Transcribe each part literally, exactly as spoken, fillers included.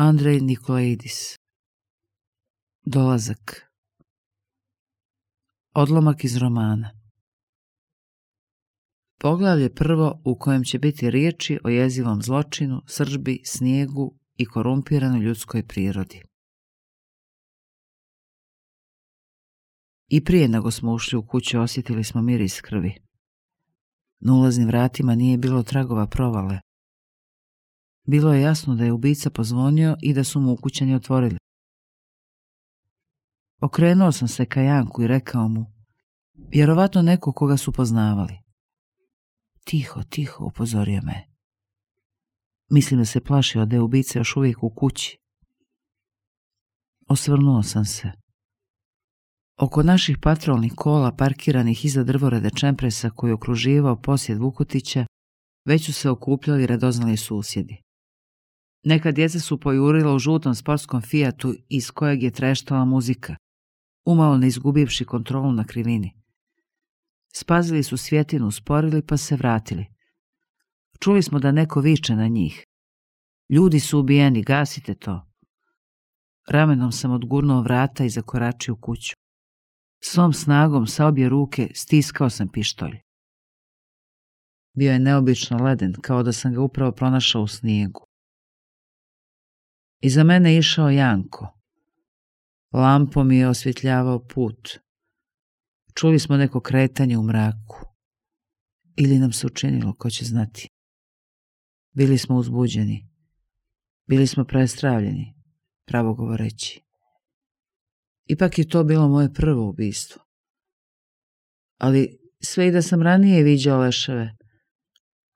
Andrej Nikolaidis. Dolazak. Odlomak iz romana. Poglavlje prvo u kojem će biti riječi o jezivom zločinu, srdžbi, snijegu i korumpiranoj ljudskoj prirodi. I prije nego smo ušli u kuću osjetili smo miris krvi. Na ulaznim vratima nije bilo tragova provale. Bilo je jasno da je ubica pozvonio i da su mu ukućani otvorili. Okrenuo sam se ka Janku i rekao mu, vjerovatno neko koga su poznavali. Tiho, tiho, upozorio me. Mislim da se plašio da je ubica još uvijek u kući. Osvrnuo sam se. Oko naših patrolnih kola parkiranih iza drvoreda Čempresa koji je okruživao posjed Vukutića, već su se okupljali radoznali susjedi. Neka djeca su pojurila u žutom sportskom Fijatu iz kojeg je treštala muzika, umalo ne izgubivši kontrolu na krivini. Spazili su svjetinu, usporili pa se vratili. Čuli smo da neko viče na njih. Ljudi su ubijeni, gasite to. Ramenom sam odgurnuo vrata i zakoračio u kuću. Svom snagom sa obje ruke stiskao sam pištolj. Bio je neobično leden, kao da sam ga upravo pronašao u snijegu. Iza mene je išao Janko. Lampom mi je osvjetljavao put. Čuli smo neko kretanje u mraku. Ili nam se učinilo, ko će znati. Bili smo uzbuđeni. Bili smo prestravljeni, pravo govoreći. Ipak je to bilo moje prvo ubistvo. Ali sve i da sam ranije viđao leševe,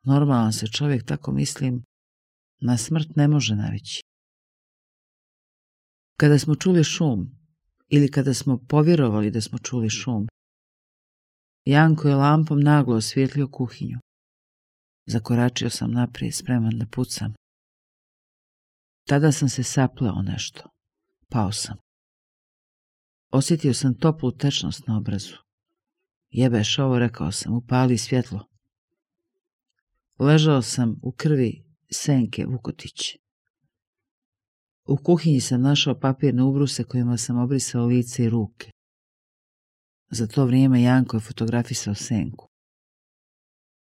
normalan se čovjek, tako mislim, na smrt ne može navići. Kada smo čuli šum, ili kada smo povjerovali da smo čuli šum, Janko je lampom naglo osvijetlio kuhinju. Zakoračio sam naprijed, spreman da pucam. Tada sam se sapleo nešto. Pao sam. Osjetio sam toplu tečnost na obrazu. Jebeš ovo, rekao sam, upali svjetlo. Ležao sam u krvi Senke Vukutić. U kuhinji sam našao papirne ubruse kojima sam obrisao lice i ruke. Za to vrijeme Janko je fotografisao Senku.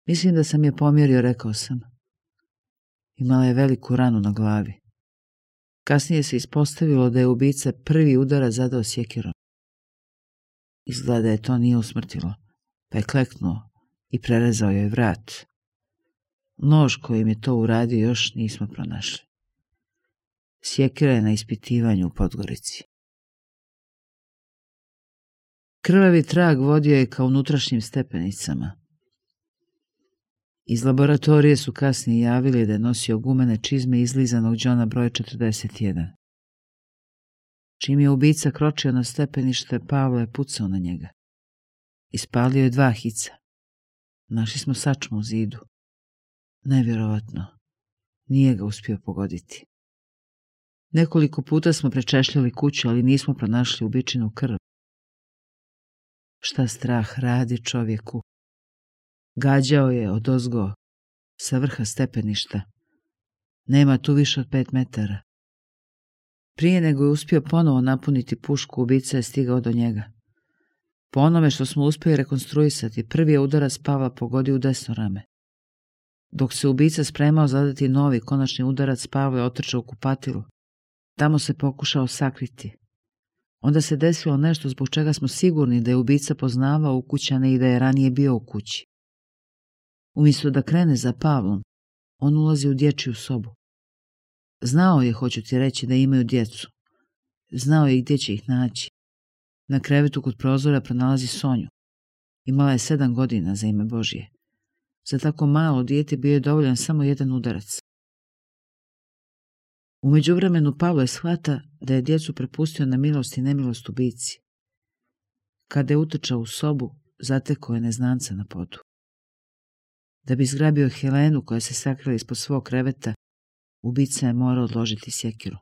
Mislim da sam je pomjerio, rekao sam. Imala je veliku ranu na glavi. Kasnije se ispostavilo da je ubica prvi udarac zadao sjekirom. Izgleda je to nije usmrtilo, pa je kleknuo i prerezao joj vrat. Nož kojim je to uradio još nismo pronašli. Sjekira je na ispitivanju u Podgorici. Krvavi trag vodio je ka unutrašnjim stepenicama. Iz laboratorije su kasnije javili da je nosio gumene čizme izlizanog Johna broj četrdeset jedan. Čim je ubica kročio na stepenište, Pavle je pucao na njega. Ispalio je dva hica. Našli smo sačmu u zidu. Nevjerovatno. Nije ga uspio pogoditi. Nekoliko puta smo prečešljali kuću, ali nismo pronašli ubičinu krv. Šta strah radi čovjeku? Gađao je odozgo, sa vrha stepeništa. Nema tu više od pet metara. Prije nego je uspio ponovo napuniti pušku, ubica je stigao do njega. Po onome što smo uspjeli rekonstruisati, prvi je udarac Pavla pogodio u desno rame. Dok se ubica spremao zadati novi, konačni udarac, Pavle je otrčao u kupatilu. Tamo se pokušao sakriti. Onda se desilo nešto zbog čega smo sigurni da je ubica poznavao ukućane i da je ranije bio u kući. Umjesto da krene za Pavlom, on ulazi u dječju sobu. Znao je, hoću ti reći, da imaju djecu. Znao je gdje će ih naći. Na krevetu kod prozora pronalazi Sonju. Imala je sedam godina, za ime Božje. Za tako malo dijete bio je dovoljan samo jedan udarac. U međuvremenu Pavle shvata da je djecu prepustio na milost i nemilost ubici. Kada je utrčao u sobu, zatekao je neznanca na podu. Da bi zgrabio Helenu koja se sakrila ispod svog kreveta, ubica je morao odložiti sjekiru.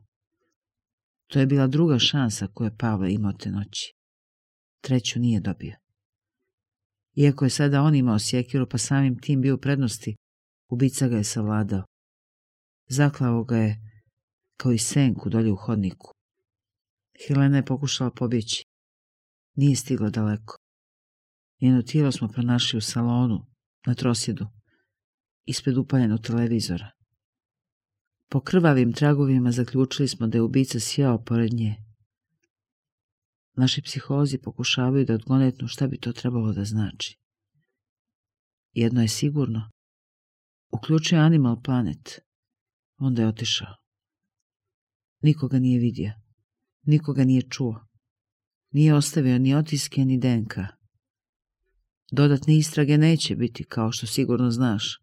To je bila druga šansa koju je Pavle imao te noći. Treću nije dobio. Iako je sada on imao sjekiru, pa samim tim bio u prednosti, ubica ga je savladao. Zaklao ga je kao i senku dolje u hodniku. Helena je pokušala pobjeći. Nije stigla daleko. Njeno tijelo smo pronašli u salonu, na trosjedu, ispred upaljenog televizora. Po krvavim tragovima zaključili smo da je ubica sjeo pored nje. Naši psiholozi pokušavaju da odgonetnu šta bi to trebalo da znači. Jedno je sigurno. Uključuje Animal Planet. Onda je otišao. Nikoga nije vidio. Nikoga nije čuo. Nije ostavio ni otiske ni D N K. Dodatne istrage neće biti, kao što sigurno znaš.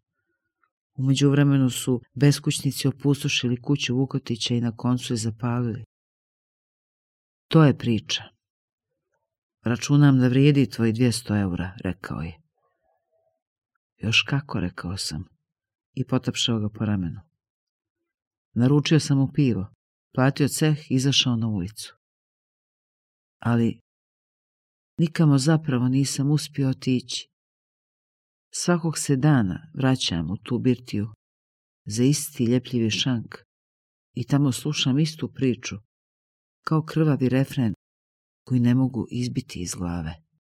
U međuvremenu su beskućnici opustošili kuću Vukotića i na koncu je zapalili. To je priča. Računam da vrijedi tvoji dvjesto eura, rekao je. Još kako, rekao sam, i potapšao ga po ramenu. Naručio sam mu pivo, platio ceh i izašao na ulicu. Ali nikamo zapravo nisam uspio otići. Svakog se dana vraćam u tu birtiju za isti ljepljivi šank i tamo slušam istu priču, kao krvavi refren koji ne mogu izbiti iz glave.